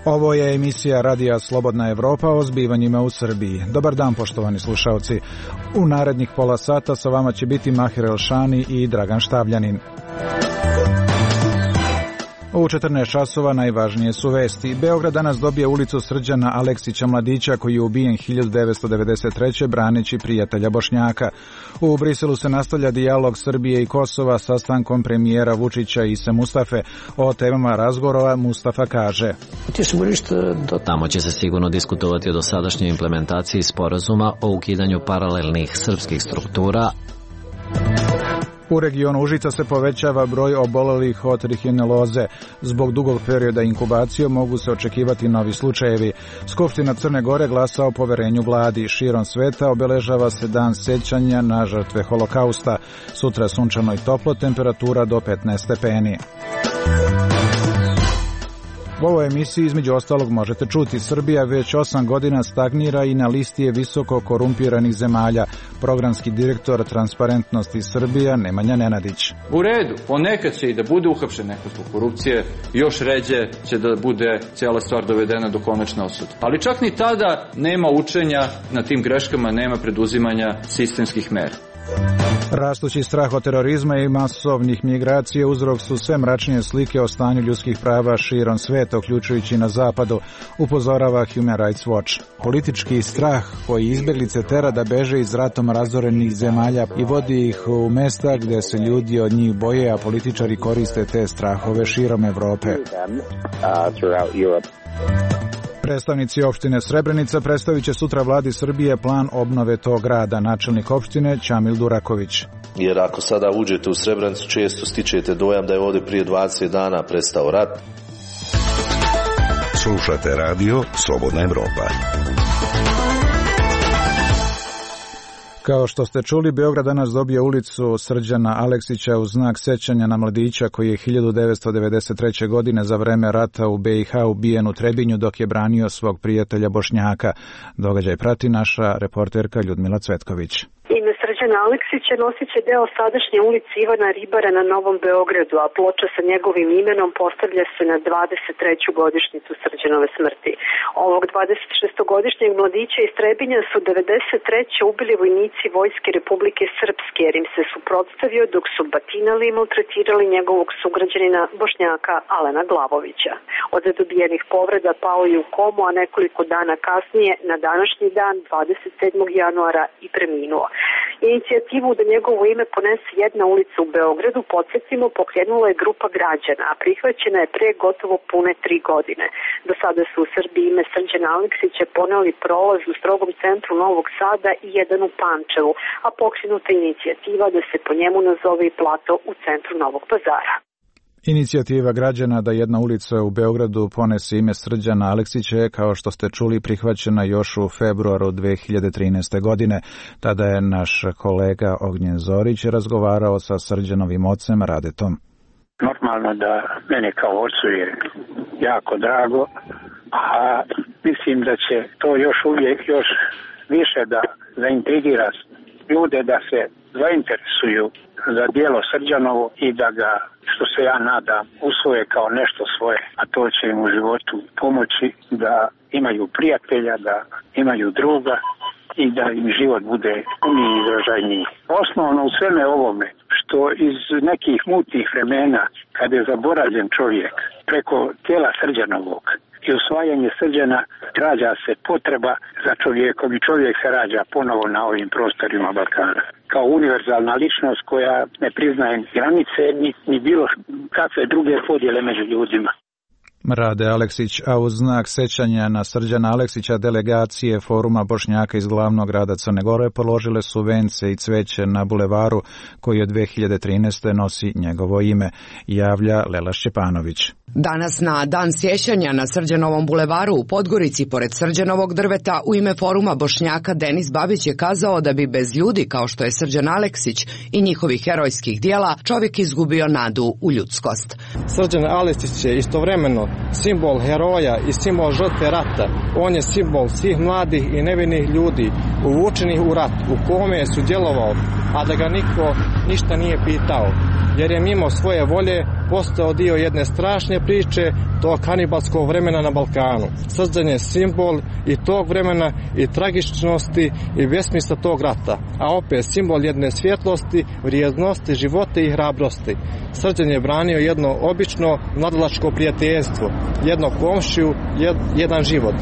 Ovo je emisija Radija Slobodna Evropa o zbivanjima u Srbiji. Dobar dan, poštovani slušaoci. U narednih pola sata sa vama će biti Mahir Elšani i Dragan Štavljanin. U 14 časova najvažnije su vesti. Beograd danas dobije ulicu Srđana Aleksića Mladića, koji je ubijen 1993. braneći prijatelja Bošnjaka. U Briselu se nastavlja dijalog Srbije i Kosova sastankom premijera Vučića i Ise Mustafe. O temama razgovora Mustafa kaže: Tamo će se sigurno diskutovati o dosadašnjoj implementaciji sporazuma o ukidanju paralelnih srpskih struktura. U regionu Užica se povećava broj obolelih od trihineloze. Zbog dugog perioda inkubacije mogu se očekivati novi slučajevi. Skupština Crne Gore glasa o poverenju vladi. Širom sveta obeležava se dan sećanja na žrtve holokausta. Sutra sunčano i toplo, temperatura do 15 stepeni. U ovoj emisiji između ostalog možete čuti: Srbija već 8 godina stagnira i na listi je visoko korumpiranih zemalja. Programski direktor Transparentnosti Srbija Nemanja Nenadić. U redu, ponekad će i da bude uhapšen neko zbog korupcije, još ređe će da bude cijela stvar dovedena do konačne osude. Ali čak ni tada nema učenja na tim greškama, nema preduzimanja sistemskih mera. Rastući strah od terorizma i masovnih migracija uzrok su sve mračnije slike o stanju ljudskih prava širom sveta, uključujući na zapadu, upozorava Human Rights Watch. Politički strah koji izbjeglice tera da beže iz ratom razorenih zemalja i vodi ih u mesta gdje se ljudi od njih boje, a političari koriste te strahove širom Evrope. Predstavnici opštine Srebrenica predstavit će sutra vladi Srbije plan obnove tog grada. Načelnik opštine Ćamil Duraković. Jer ako sada uđete u Srebrenicu, često stičete dojam da je ovdje prije 20 dana prestao rat. Slušate radio Slobodna Evropa. Kao što ste čuli, Beograd danas dobije ulicu Srđana Aleksića u znak sećanja na mladića koji je 1993. godine za vreme rata u BiH ubijen u Trebinju dok je branio svog prijatelja Bošnjaka. Događaj prati naša reporterka Ljudmila Cvetković. Ime Srđana Aleksića nosit će deo sadašnje ulice Ivana Ribara na Novom Beogradu, a ploča sa njegovim imenom postavlja se na 23. godišnjicu Srđanove smrti. Ovog 26-godišnjeg mladića iz Trebinja su 93. ubili vojnici Vojske Republike Srpske, jer im se suprotstavio dok su batinali i maltretirali njegovog sugrađanina Bošnjaka Alena Glavovića. Od dobijenih povreda pao je u komu, a nekoliko dana kasnije, na današnji dan, 27. januara, i preminuo. Inicijativu da njegovo ime ponese jedna ulica u Beogradu, podsjetimo, pokrenula je grupa građana, a prihvaćena je pre gotovo pune 3 godine. Do sada su u Srbiji ime Srđana Aleksića poneli prolaz u strogom centru Novog Sada i jedan u Pančevu, a pokrenuta inicijativa da se po njemu nazove i plato u centru Novog Pazara. Inicijativa građana da jedna ulica u Beogradu ponese ime Srđana Aleksića je, kao što ste čuli, prihvaćena još u februaru 2013. godine. Tada je naš kolega Ognjen Zorić razgovarao sa Srđanovim ocem Radetom. Normalno da mene kao ocu je jako drago, a mislim da će to još više da zaintrigira ljude da se zainteresuju za djelo Srđanovo i da ga, što se ja nadam, usvoje kao nešto svoje, a to će im u životu pomoći da imaju prijatelja, da imaju druga i da im život bude puniji i izražajniji. Osnovno u sveme ovome, što iz nekih mutnih vremena, kada je zaboravljen čovjek, preko tijela Srđanovog i usvajanje Srđana, rađa se potreba za čovjekom i čovjek se rađa ponovo na ovim prostorima Balkana. Kao univerzalna ličnost koja ne priznaje granice ni bilo kakve druge podjele među ljudima. Rade Aleksić, a uz znak sećanja na Srđana Aleksića delegacije Foruma Bošnjaka iz glavnog grada Crne Gore položile su vence i cveće na bulevaru koji od 2013. nosi njegovo ime, javlja Lela Šćepanović. Danas na dan sjećanja na Srđanovom bulevaru u Podgorici pored Srđanovog drveta u ime Foruma Bošnjaka Denis Babić je kazao da bi bez ljudi kao što je Srđan Aleksić i njihovih herojskih dijela čovjek izgubio nadu u ljudskost. Srđan Aleksić je istovremeno simbol heroja i simbol žrtve rata. On je simbol svih mladih i nevinih ljudi uvučenih u rat u kome je sudjelovao a da ga niko ništa nije pitao, jer je mimo svoje volje postao dio jedne strašne priče tog kanibalskog vremena na Balkanu. Srđan je simbol i tog vremena i tragičnosti i besmisla tog rata, a opet simbol jedne svjetlosti, vrijednosti, života i hrabrosti. Srđan je branio jedno obično mladalačko prijateljstvo, jedno komšiju, jedan život.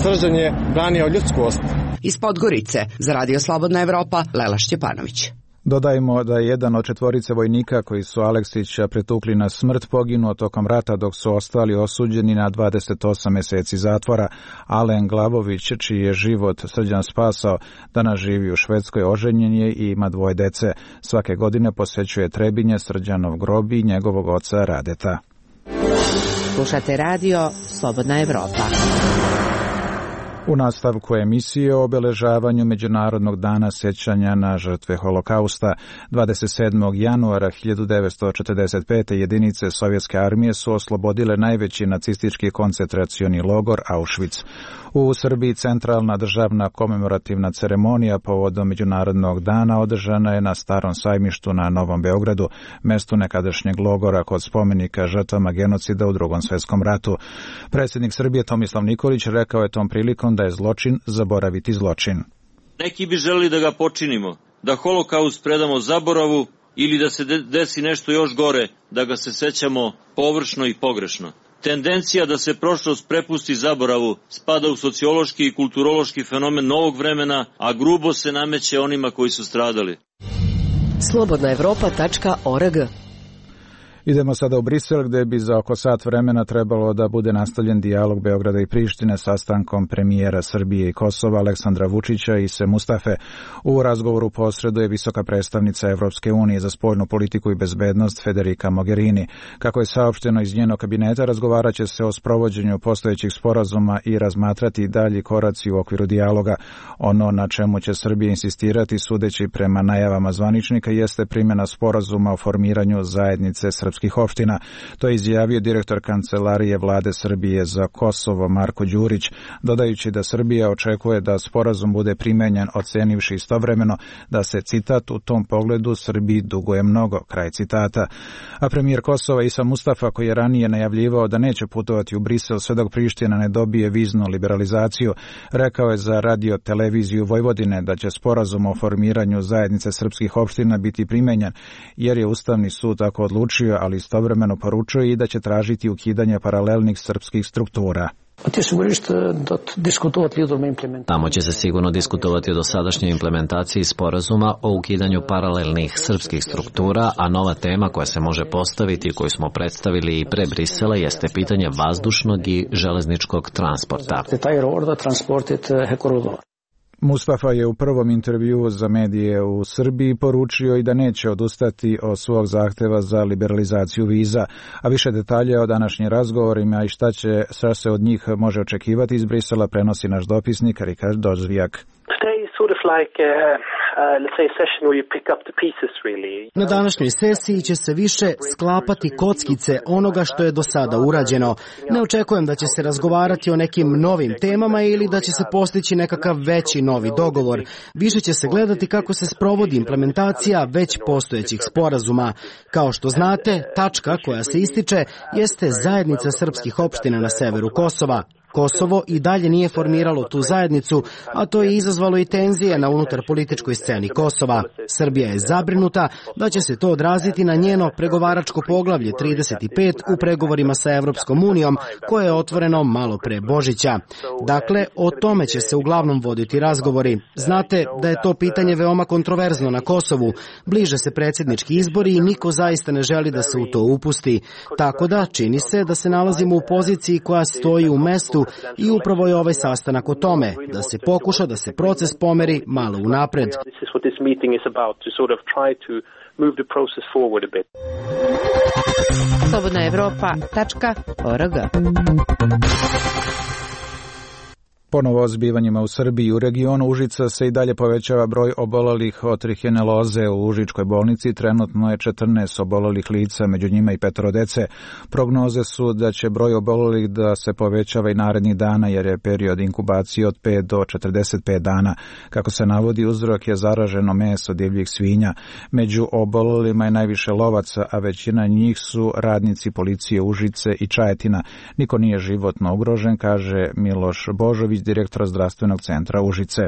Srđan je branio ljudskost. Iz Podgorice, za Radio Slobodna Evropa, Lela Šćepanović. Dodajmo da je jedan od 4 vojnika koji su Aleksića pretukli na smrt poginuo tokom rata, dok su ostali osuđeni na 28 mjeseci zatvora. Alen Glavović, čiji je život Srđan spasao, danas živi u Švedskoj, oženjen je i ima 2 dece. Svake godine posećuje Trebinje, Srđanov grob i njegovog oca Radeta. Slušate Radio Slobodna Evropa. U nastavku emisije o obeležavanju Međunarodnog dana sjećanja na žrtve Holokausta, 27. januara 1945. jedinice Sovjetske armije su oslobodile najveći nacistički koncentracioni logor Auschwitz. U Srbiji centralna državna komemorativna ceremonija povodom Međunarodnog dana održana je na Starom sajmištu na Novom Beogradu, mestu nekadašnjeg logora kod spomenika žrtvama genocida u Drugom svjetskom ratu. Predsjednik Srbije Tomislav Nikolić rekao je tom prilikom da je zločin zaboraviti zločin. Neki bi želeli da ga počinimo, da holokaust predamo zaboravu ili da se desi nešto još gore, da ga se sećamo površno i pogrešno. Tendencija da se prošlost prepusti zaboravu spada u sociološki i kulturološki fenomen novog vremena, a grubo se nameće onima koji su stradali. Slobodnaevropa.org. Idemo sada u Brisel, gdje bi za oko sat vremena trebalo da bude nastavljen dijalog Beograda i Prištine sastankom premijera Srbije i Kosova Aleksandra Vučića i Ise Mustafe. U razgovoru posreduje visoka predstavnica Evropske unije za spoljnu politiku i bezbednost Federica Mogherini. Kako je saopšteno iz njenog kabineta, razgovarat će se o sprovođenju postojećih sporazuma i razmatrati dalji koraci u okviru dijaloga. Ono na čemu će Srbija insistirati, sudeći prema najavama zvaničnika, jeste primjena sporazuma o formiranju zajednice srpskih opština. To je izjavio direktor Kancelarije Vlade Srbije za Kosovo Marko Đurić, dodajući da Srbija očekuje da sporazum bude primenjen, ocenivši istovremeno da se, citat, u tom pogledu Srbiji duguje mnogo, kraj citata. A premijer Kosova Isa Mustafa, koji je ranije najavljivao da neće putovati u Brisel sve dok Priština ne dobije viznu liberalizaciju, rekao je za radio televiziju Vojvodine da će sporazum o formiranju zajednice srpskih opština biti primenjen, jer je Ustavni sud tako odlučio, ali istovremeno poručuje i da će tražiti ukidanje paralelnih srpskih struktura. Tamo će se sigurno diskutovati o dosadašnjoj implementaciji sporazuma o ukidanju paralelnih srpskih struktura, a nova tema koja se može postaviti, koju smo predstavili i pre Brisela, jeste pitanje vazdušnog i železničkog transporta. Mustafa je u prvom intervjuu za medije u Srbiji poručio i da neće odustati od svog zahteva za liberalizaciju viza, a više detalja o današnjim razgovorima i šta se od njih može očekivati iz Brisela prenosi naš dopisnik Rikard Dozvijak. Na današnjoj sesiji će se više sklapati kockice onoga što je do sada urađeno. Ne očekujem da će se razgovarati o nekim novim temama ili da će se postići nekakav veći novi dogovor. Više će se gledati kako se sprovodi implementacija već postojećih sporazuma. Kao što znate, tačka koja se ističe jeste zajednica srpskih opština na severu Kosova. Kosovo i dalje nije formiralo tu zajednicu, a to je izazvalo i tenzije na unutar političkoj sceni Kosova. Srbija je zabrinuta da će se to odraziti na njeno pregovaračko poglavlje 35 u pregovorima sa Evropskom unijom, koje je otvoreno malo pre Božića. Dakle, o tome će se uglavnom voditi razgovori. Znate da je to pitanje veoma kontroverzno na Kosovu. Bliže se predsjednički izbori i niko zaista ne želi da se u to upusti. Tako da, čini se da se nalazimo u poziciji koja stoji u mestu i upravo je ovaj sastanak o tome, da se pokuša da se proces pomeri malo unapred. Slobodnaevropa.org. Ponovo zbivanjima u Srbiji. U regionu Užica se i dalje povećava broj obolelih od trihineloze. U Užičkoj bolnici trenutno je 14 obolelih lica, među njima i 5 dece. Prognoze su da će broj obolelih da se povećava i narednih dana, jer je period inkubacije od 5 do 45 dana. Kako se navodi, uzrok je zaraženo meso divljih svinja. Među obolelima je najviše lovaca, a većina njih su radnici policije Užice i Čajetina. Niko nije životno ugrožen, kaže Miloš Božović, direktor zdravstvenog centra Užice.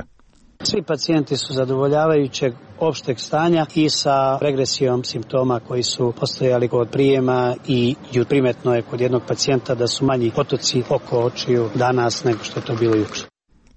Svi pacijenti su zadovoljavajućeg opšteg stanja i sa regresijom simptoma koji su postojali kod prijema i primetno je kod jednog pacijenta da su manji potoci oko očiju danas nego što je to bilo juče.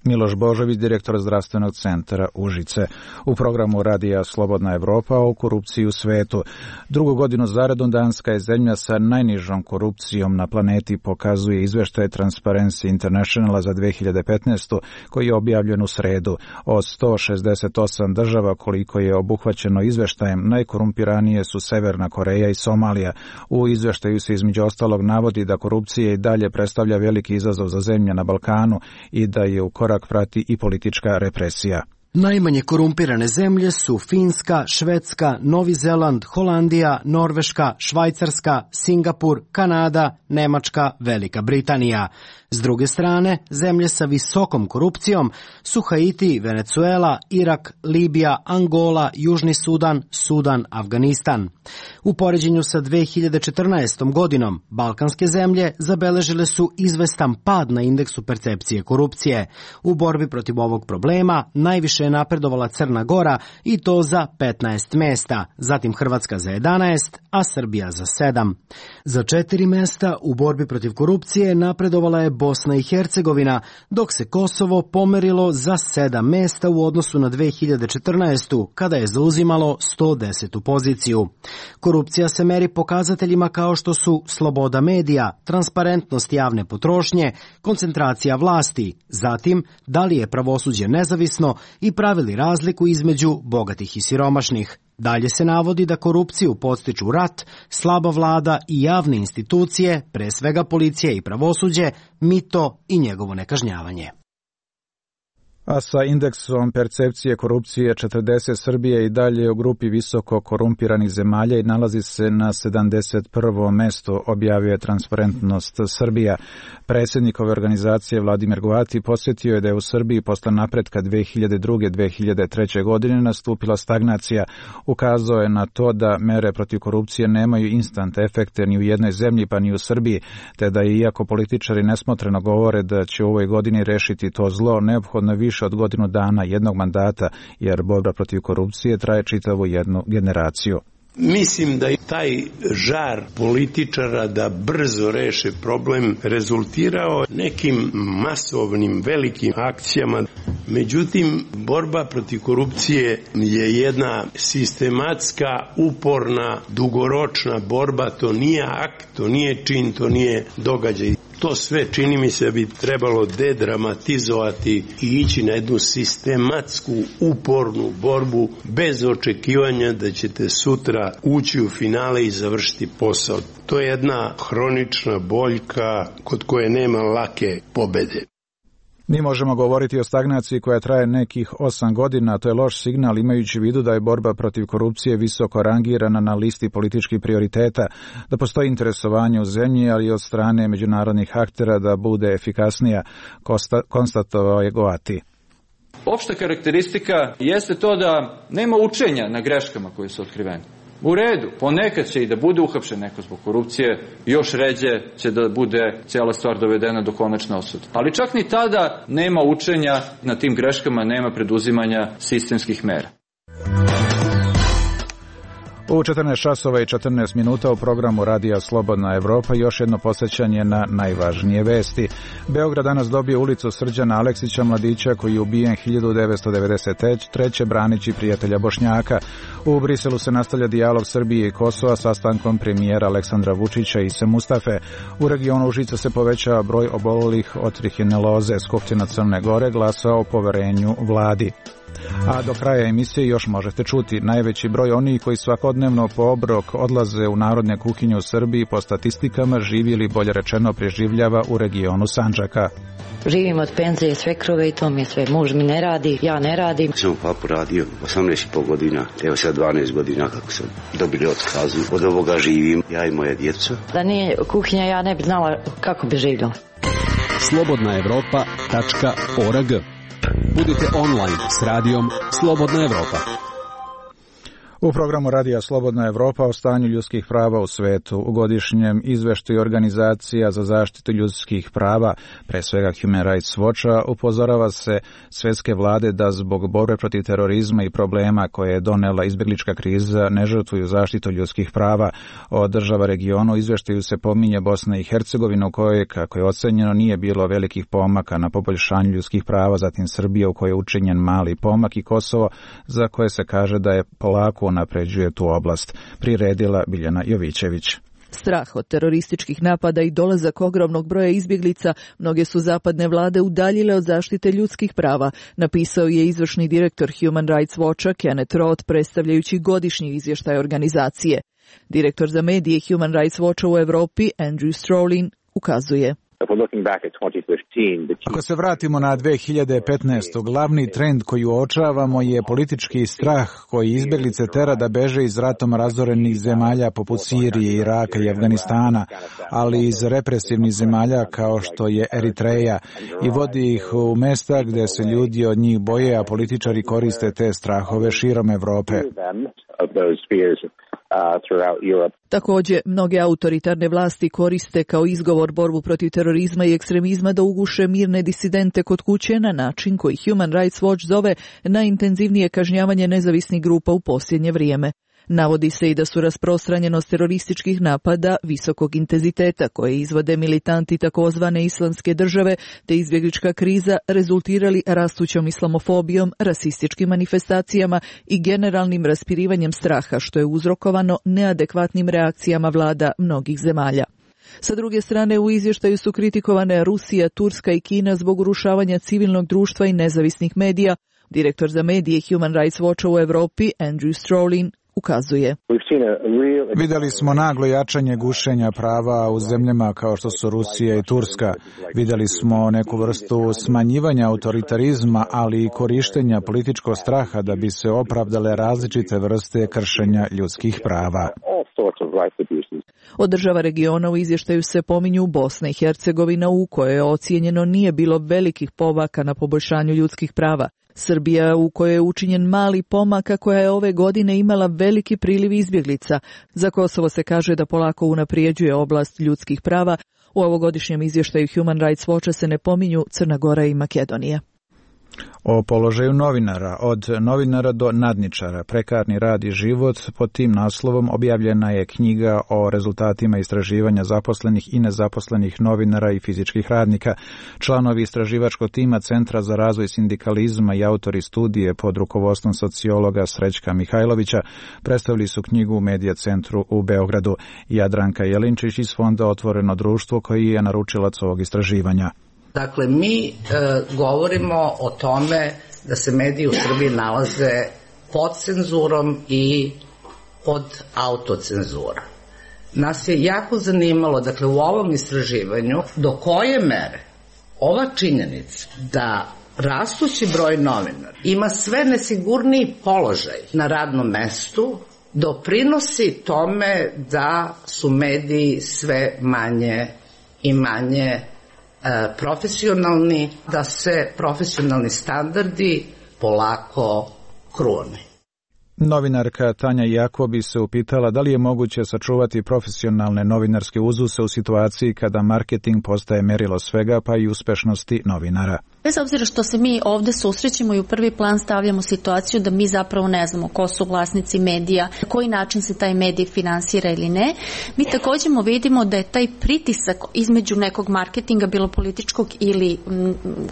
Miloš Božović, direktor zdravstvenog centra Užice. U programu radija Slobodna Evropa o korupciji u svetu. Drugu godinu zaredom Danska je zemlja sa najnižom korupcijom na planeti, pokazuje izveštaj Transparency Internationala za 2015. koji je objavljen u sredu. Od 168 država koliko je obuhvaćeno izveštajem, najkorumpiranije su Severna Koreja i Somalija. U izveštaju se između ostalog navodi da korupcija i dalje predstavlja veliki izazov za zemlje na Balkanu i da je u korak prati i politička represija. Najmanje korumpirane zemlje su Finska, Švedska, Novi Zeland, Holandija, Norveška, Švajcarska, Singapur, Kanada, Nemačka, Velika Britanija. S druge strane, zemlje sa visokom korupcijom su Haiti, Venezuela, Irak, Libija, Angola, Južni Sudan, Sudan, Afganistan. U poređenju sa 2014. godinom, balkanske zemlje zabeležile su izvestan pad na indeksu percepcije korupcije. U borbi protiv ovog problema najviše je napredovala Crna Gora i to za 15 mesta, zatim Hrvatska za 11, a Srbija za 7. Za 4 mesta u borbi protiv korupcije napredovala je Bosna i Hercegovina, dok se Kosovo pomerilo za 7 mesta u odnosu na 2014. kada je zauzimalo 110. poziciju. Korupcija se meri pokazateljima kao što su sloboda medija, transparentnost javne potrošnje, koncentracija vlasti, zatim da li je pravosuđe nezavisno i pravili razliku između bogatih i siromašnih. Dalje se navodi da korupciju podstiču rat, slaba vlada i javne institucije, pre svega policija i pravosuđe, mito i njegovo nekažnjavanje. A sa indeksom percepcije korupcije 40 Srbije i dalje u grupi visoko korumpiranih zemalja i nalazi se na 71. mesto, objavio je Transparentnost Srbija. Predsjednik ove organizacije Vladimir Goati posjetio je da je u Srbiji posle napretka 2002-2003. godine nastupila stagnacija. Ukazao je na to da mere protiv korupcije nemaju instant efekte ni u jednoj zemlji pa ni u Srbiji, te da je, iako političari nesmotreno govore da će u ovoj godini rešiti to zlo, neophodno više od godinu dana jednog mandata, jer borba protiv korupcije traje čitavu jednu generaciju. Mislim da je taj žar političara da brzo reše problem rezultirao nekim masovnim velikim akcijama. Međutim, borba protiv korupcije je jedna sistematska, uporna, dugoročna borba. To nije akt, to nije čin, to nije događaj. To sve, čini mi se, bi trebalo dedramatizovati i ići na jednu sistematsku, upornu borbu bez očekivanja da ćete sutra ući u finale i završiti posao. To je jedna hronična boljka kod koje nema lake pobede. Mi možemo govoriti o stagnaciji koja traje nekih 8 godina, to je loš signal imajući u vidu da je borba protiv korupcije visoko rangirana na listi političkih prioriteta, da postoji interesovanje u zemlji, ali i od strane međunarodnih aktera da bude efikasnija, konstatovao je Goati. Opšta karakteristika jeste to da nema učenja na greškama koje su otkrivene. U redu, ponekad će i da bude uhapšen neko zbog korupcije, još ređe će da bude cijela stvar dovedena do konačne osude. Ali čak ni tada nema učenja na tim greškama, nema preduzimanja sistemskih mera. U 14 časova i 14 minuta u programu radija Slobodna Evropa još jedno podsjećanje na najvažnije vesti. Beograd danas dobio ulicu Srđana Aleksića, mladića koji je ubijen 1993. branići prijatelja Bošnjaka. U Briselu se nastavlja dijalog Srbije i Kosova sastankom premijera Aleksandra Vučića i Ise Mustafe. U regionu Užica se povećava broj obolelih od trihineloze. Skupština Crne Gore glasa o poverenju vladi. A do kraja emisije još možete čuti najveći broj onih koji svakodnevno po obrok odlaze u narodne kuhinje u Srbiji po statistikama živi ili bolje rečeno preživljava u regionu Sandžaka. Živim od penzije svekrove i to mi je sve. Muž mi ne radi, ja ne radim. Sam papu radio 18,5 godina, evo sad 12 godina kako sam dobili otkazu. Od ovoga živim, ja i moja djeca. Da nije kuhinja, ja ne bi znala kako bi živjela. slobodnaevropa.org. Budite online s radijom Slobodna Evropa. U programu Radija Slobodna Evropa o stanju ljudskih prava u svetu, u godišnjem izveštaju organizacija za zaštitu ljudskih prava, pre svega Human Rights Watcha, upozorava se svetske vlade da zbog borbe protiv terorizma i problema koje je donela izbjeglička kriza ne žrtvuju zaštitu ljudskih prava. Od država regiona u izveštaju se pominje Bosna i Hercegovina u kojoj, kako je ocenjeno, nije bilo velikih pomaka na poboljšanju ljudskih prava, zatim Srbija u kojoj je učinjen mali pomak i Kosovo za koje se kaže da je polako napređuje tu oblast. Priredila Biljana Jovićević. Strah od terorističkih napada i dolazak ogromnog broja izbjeglica mnoge su zapadne vlade udaljile od zaštite ljudskih prava, napisao je izvršni direktor Human Rights Watcha Kenneth Roth predstavljajući godišnji izvještaj organizacije. Direktor za medije Human Rights Watcha u Evropi Andrew Strolin ukazuje. Ako se vratimo na 2015. glavni trend koji uočavamo je politički strah koji izbjeglice tera da beže iz ratom razorenih zemalja poput Sirije, Iraka i Afganistana, ali iz represivnih zemalja kao što je Eritreja i vodi ih u mesta gdje se ljudi od njih boje, a političari koriste te strahove širom Evrope. Također, mnoge autoritarne vlasti koriste kao izgovor borbu protiv terorizma i ekstremizma da uguše mirne disidente kod kuće na način koji Human Rights Watch zove najintenzivnije kažnjavanje nezavisnih grupa u posljednje vrijeme. Navodi se i da su rasprostranjenost terorističkih napada visokog intenziteta koje izvode militanti takozvane islamske države te izbjeglička kriza rezultirali rastućom islamofobijom, rasističkim manifestacijama i generalnim raspirivanjem straha što je uzrokovano neadekvatnim reakcijama vlada mnogih zemalja. Sa druge strane, u izvještaju su kritikovane Rusija, Turska i Kina zbog urušavanja civilnog društva i nezavisnih medija. Direktor za medije Human Rights Watcha u Evropi Andrew Strolin ukazuje. Vidjeli smo naglo jačanje gušenja prava u zemljama kao što su Rusija i Turska. Vidjeli smo neku vrstu smanjivanja autoritarizma, ali i korištenja političkog straha da bi se opravdale različite vrste kršenja ljudskih prava. Od država regiona u izvještaju se pominju Bosna i Hercegovina u kojoj je ocijenjeno nije bilo velikih pomaka na poboljšanju ljudskih prava. Srbija u kojoj je učinjen mali pomak, a koja je ove godine imala veliki priliv izbjeglica. Za Kosovo se kaže da polako unaprijeđuje oblast ljudskih prava. U ovogodišnjem izvještaju Human Rights Watcha se ne pominju Crna Gora i Makedonija. O položaju novinara, od novinara do nadničara, prekarni rad i život, pod tim naslovom objavljena je knjiga o rezultatima istraživanja zaposlenih i nezaposlenih novinara i fizičkih radnika. Članovi istraživačkog tima Centra za razvoj sindikalizma i autori studije pod rukovodstvom sociologa Srećka Mihajlovića predstavili su knjigu u Medija centru u Beogradu. Jadranka Jelinčić iz Fonda Otvoreno društvo koji je naručilac ovog istraživanja. Dakle, mi govorimo o tome da se mediji u Srbiji nalaze pod cenzurom i pod autocenzurom. Nas je jako zanimalo, dakle, u ovom istraživanju, do koje mere ova činjenica da rastući broj novinara ima sve nesigurniji položaj na radnom mestu doprinosi tome da su mediji sve manje i manje profesionalni, da se profesionalni standardi polako krune. Novinarka Tanja Jakobi se upitala da li je moguće sačuvati profesionalne novinarske uzuse u situaciji kada marketing postaje merilo svega pa i uspešnosti novinara. Bez obzira što se mi ovdje susrećemo i u prvi plan stavljamo situaciju da mi zapravo ne znamo ko su vlasnici medija, na koji način se taj medij finansira ili ne, mi također vidimo da je taj pritisak između nekog marketinga, bilo političkog ili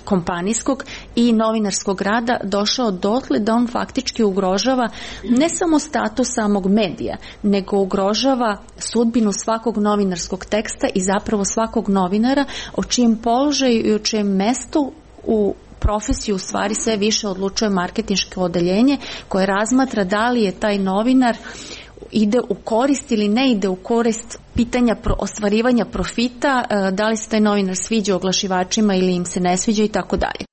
kompanijskog i novinarskog rada došao dotle da on faktički ugrožava ne samo status samog medija, nego ugrožava sudbinu svakog novinarskog teksta i zapravo svakog novinara o čijem položaju i o čijem mestu u profesiju u stvari sve više odlučuje marketinško odeljenje koje razmatra da li je taj novinar ide u korist ili ne ide u korist pitanja ostvarivanja profita, da li se taj novinar sviđa oglašivačima ili im se ne sviđa i tako dalje.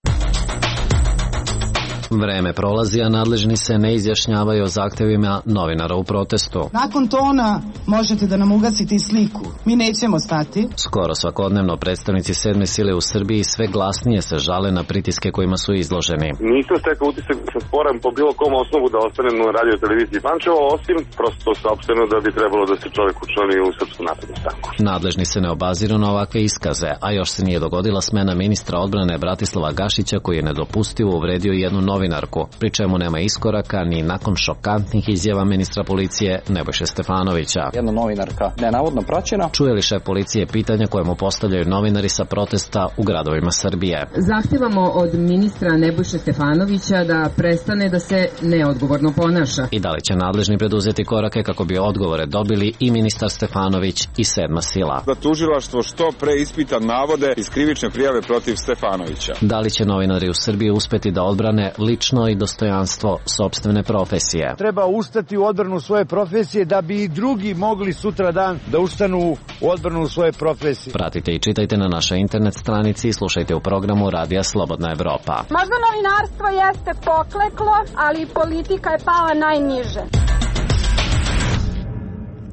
Vreme prolazi, a nadležni se ne izjašnjavaju o zahtevima novinara u protestu. Nakon tona možete da nam ugasite i sliku. Mi nećemo stati. Skoro svakodnevno predstavnici sedme sile u Srbiji sve glasnije se žale na pritiske kojima su izloženi. Nisam stekao utisak da se sporam po bilo kom osnovu da ostanem na radio televiziji Pančevo, osim prosto saopšteno da bi trebalo da se čovjek učlani u Srpsku naprednu stranku. Nadležni se ne obaziru na ovakve iskaze, a još se nije dogodila smena ministra odbrane Bratislava Gašića koji je nedopustivo uvredio jednu novinarku, pri čemu nema iskoraka ni nakon šokantnih izjava ministra policije Nebojše Stefanovića. Jedna novinarka nenavodno praćena. Čuje li šef policije pitanja koje mu postavljaju novinari sa protesta u gradovima Srbije? Zahtevamo od ministra Nebojše Stefanovića da prestane da se neodgovorno ponaša. I da li će nadležni preduzeti korake kako bi odgovore dobili i ministar Stefanović i sedma sila? Da tužilaštvo što pre ispita navode iz krivične prijave protiv Stefanovića. Da li će novinari u Srbiji uspeti da odbrane lično i dostojanstvo sopstvene profesije? Treba ustati u odbranu svoje profesije da bi i drugi mogli sutra dan da ustanu u odbranu svoje profesije. Pratite i čitajte na našoj internet stranici i slušajte u programu Radija Slobodna Evropa. Možda novinarstvo jeste pokleklo, ali politika je pala najniže.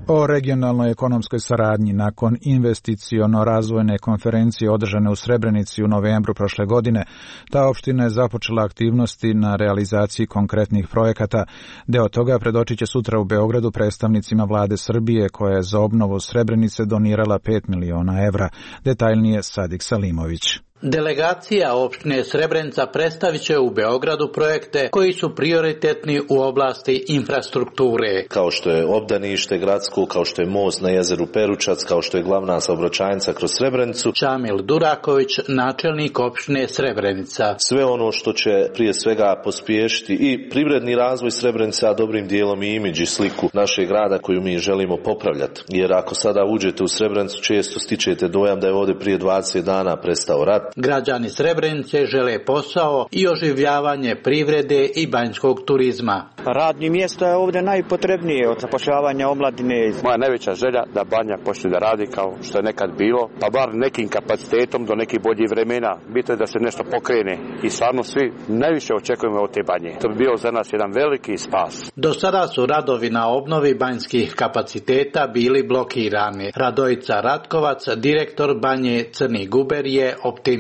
O regionalnoj ekonomskoj saradnji nakon investiciono-razvojne konferencije održane u Srebrenici u novembru prošle godine, ta opština je započela aktivnosti na realizaciji konkretnih projekata. Deo toga predočit će sutra u Beogradu predstavnicima vlade Srbije koja je za obnovu Srebrenice donirala 5 miliona evra. Detaljnije Sadik Salimović. Delegacija opštine Srebrenica predstavit će u Beogradu projekte koji su prioritetni u oblasti infrastrukture. Kao što je obdanište gradsko, kao što je most na jezeru Peručac, kao što je glavna saobraćajnica kroz Srebrenicu. Čamil Duraković, načelnik opštine Srebrenica. Sve ono što će prije svega pospješiti i privredni razvoj Srebrenice, a dobrim dijelom i imidž i sliku našeg grada koju mi želimo popravljati. Jer ako sada uđete u Srebrenicu, često stičete dojam da je ovdje prije 20 dana prestao rat. Građani Srebrenice žele posao i oživljavanje privrede i banjskog turizma. Radni mjesto je ovdje najpotrebnije od zapošljavanja omladine. Moja najveća želja da Banja počne da radi kao što je nekad bilo, pa bar nekim kapacitetom do nekih boljih vremena. Bitno je da se nešto pokrene i stvarno svi najviše očekujemo od te Banje. To bi bio za nas jedan veliki spas. Do sada su radovi na obnovi banjskih kapaciteta bili blokirani. Radojica Ratkovac, direktor Banje Crni Guber, je optimista.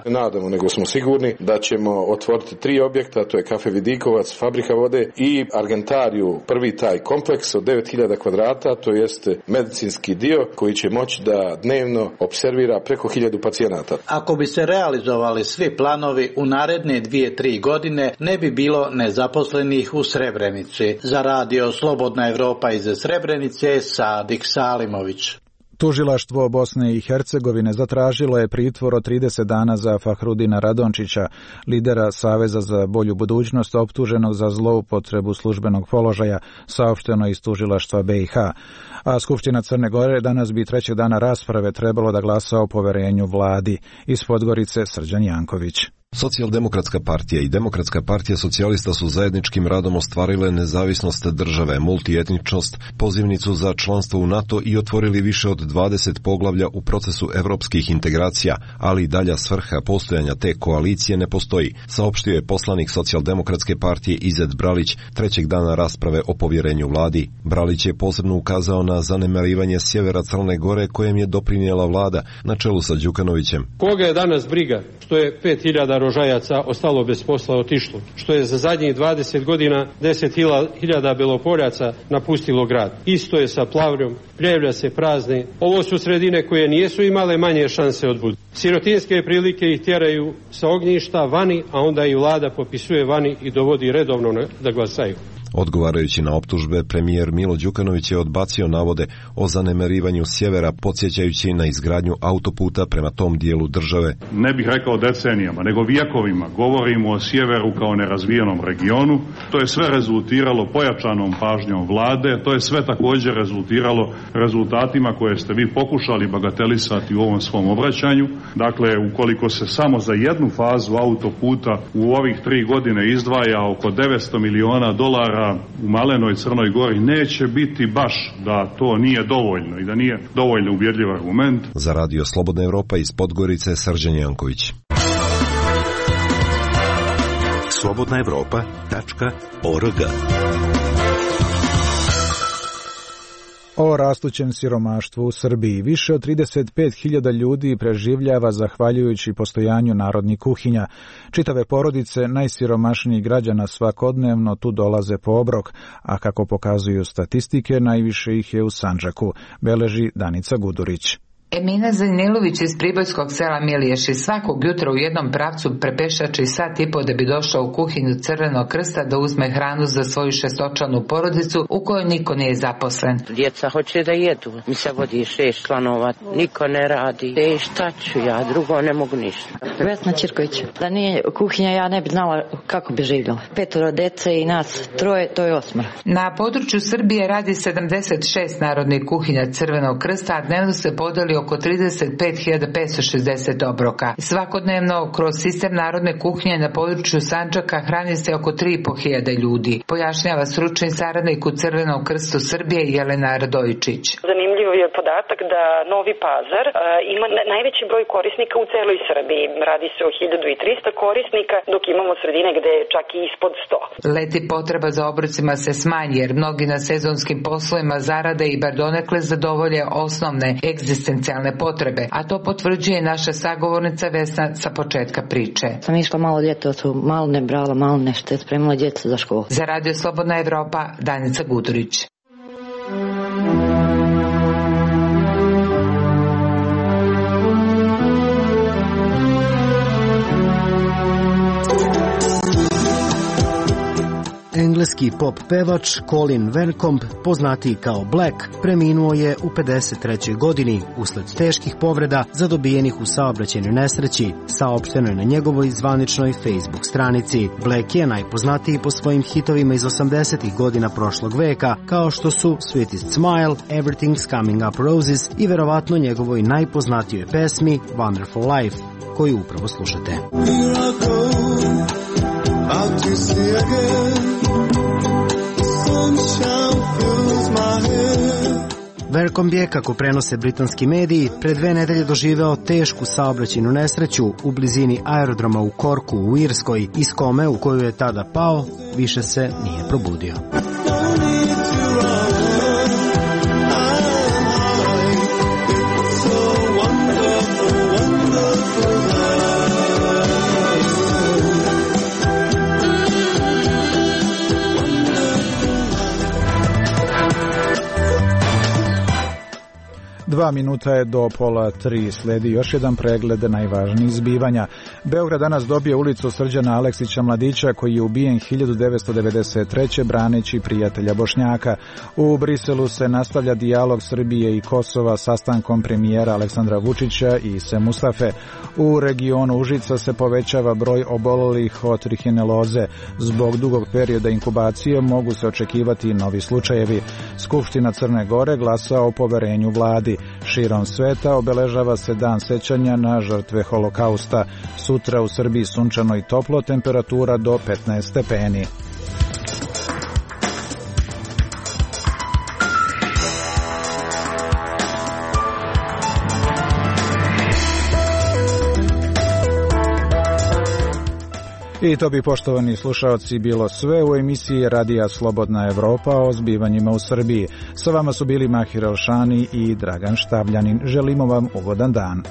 Nadamo, nego smo sigurni da ćemo otvoriti 3 objekta, to je Kafe Vidikovac, Fabrika vode i Argentariju, prvi taj kompleks od 9000 kvadrata, to jeste medicinski dio koji će moći da dnevno observira preko 1000 pacijenata. Ako bi se realizovali svi planovi u naredne 2-3 godine, ne bi bilo nezaposlenih u Srebrenici. Za Radio Slobodna Evropa iz Srebrenice, Sadik Salimović. Tužilaštvo Bosne i Hercegovine zatražilo je pritvor od 30 dana za Fahrudina Radončića, lidera Saveza za bolju budućnost, optuženog za zloupotrebu službenog položaja, saopšteno iz tužilaštva BiH. A Skupština Crne Gore danas bi 3. dana rasprave trebalo da glasa o poverenju vladi. Iz Podgorice Srđan Janković. Socijaldemokratska partija i Demokratska partija socijalista su zajedničkim radom ostvarile nezavisnost države, multietničnost, pozivnicu za članstvo u NATO i otvorili više od 20 poglavlja u procesu evropskih integracija, ali i dalja svrha postojanja te koalicije ne postoji, saopštio je poslanik Socijaldemokratske partije Izet Bralić 3. dana rasprave o povjerenju vladi. Bralić je posebno ukazao na zanemarivanje sjevera Crne Gore kojem je doprinijela vlada na čelu sa Đukanovićem. Koga je danas briga što je 5000 rožajaca ostalo bez posla, otišlo, što je za zadnjih 20 godina 10.000 Belopoljaca napustilo grad. Isto je sa Plavljom, Pljevlja se prazne. Ovo su sredine koje nijesu imale manje šanse od budu. Sirotinske prilike ih tjeraju sa ognjišta vani, a onda i vlada popisuje vani i dovodi redovno da glasaju. Odgovarajući na optužbe, premijer Milo Đukanović je odbacio navode o zanemarivanju sjevera, podsjećajući na izgradnju autoputa prema tom dijelu države. Ne bih rekao decenijama, nego vjekovima govorimo o sjeveru kao nerazvijenom regionu. To je sve rezultiralo pojačanom pažnjom vlade, to je sve također rezultiralo rezultatima koje ste vi pokušali bagatelisati u ovom svom obraćanju. Dakle, ukoliko se samo za jednu fazu autoputa u ovih 3 godine izdvaja oko $900 miliona u malenoj Crnoj Gori, neće biti baš da to nije dovoljno i da nije dovoljno uvjerljiv argument. Za Radio Slobodna Evropa iz Podgorice, Srđan Janković. slobodnaevropa.org. O rastućem siromaštvu u Srbiji. Više od 35.000 ljudi preživljava zahvaljujući postojanju narodnih kuhinja. Čitave porodice najsiromašnijih građana svakodnevno tu dolaze po obrok, a kako pokazuju statistike, najviše ih je u Sandžaku, beleži Danica Gudurić. Emina Zanilović iz pribojskog sela Miliješi svakog jutra u jednom pravcu prepešači sat i po da bi došao u kuhinju Crvenog krsta da uzme hranu za svoju 6-članu porodicu u kojoj niko nije zaposlen. Djeca hoće da jedu, mi se vodi 6 članova, niko ne radi. Šta ću ja, drugo ne mogu ništa. Vesna Čirković, da nije kuhinja ja ne bi znala kako bi živjela. 5 dece i nas 3, to je 8. Na području Srbije radi 76 narodnih kuhinja Crvenog krsta, a dnevno se podeli oko 35.560 obroka. Svakodnevno kroz sistem narodne kuhinje na području Sandžaka hrani se oko 3.500 ljudi, pojašnjava stručni saradnik u Crvenom krstu Srbije Jelena Radojičić. Zanimljiv je podatak da Novi Pazar ima najveći broj korisnika u celoj Srbiji. Radi se o 1300 korisnika, dok imamo sredine gde je čak i ispod 100. Leti potreba za obrocima se smanji jer mnogi na sezonskim poslovima zarade i bar donekle zadovolje osnovne egzistencijalne potrebe, a to potvrđuje naša sagovornica Vesna sa početka priče. Sam išla malo ljeto, malo ne brala, malo nešto, spremila djecu za školu. Za Radio Slobodna Evropa, Danica Gudurić. Engleski pop pevač Colin Vencombe, poznatiji kao Black, preminuo je u 53. godini usled teških povreda zadobijenih u saobraćajnoj nesreći, saopšteno je na njegovoj zvaničnoj Facebook stranici. Black je najpoznatiji po svojim hitovima iz 80. godina prošlog veka, kao što su Sweetest Smile, Everything's Coming Up Roses i verovatno njegovoj najpoznatijoj pesmi Wonderful Life, koju upravo slušate. Out to see again, the sunshine fills my head. Vencombe je, kako prenose britanski mediji, pre 2 nedelje doživeo tešku saobraćajnu nesreću u blizini aerodroma u Corku u Irskoj, iz kome u koju je tada pao više se nije probudio. 2 minuta je do 2:30. Sledi još jedan pregled najvažnijih zbivanja. Beograd danas dobije ulicu Srđana Aleksića Mladića, koji je ubijen 1993. braneći prijatelja Bošnjaka. U Briselu se nastavlja dijalog Srbije i Kosova sastankom premijera Aleksandra Vučića i Ise Mustafe. U regionu Užica se povećava broj obolelih od trihineloze. Zbog dugog perioda inkubacije mogu se očekivati novi slučajevi. Skupština Crne Gore glasa o poverenju vladi. Širom sveta obeležava se dan sećanja na žrtve holokausta. Sutra u Srbiji sunčano i toplo, temperatura do 15 stepeni. I to bi, poštovani slušaoci, bilo sve u emisiji Radija Slobodna Evropa o zbivanjima u Srbiji. Sa vama su bili Mahir Elšani i Dragan Štavljanin. Želimo vam ugodan dan.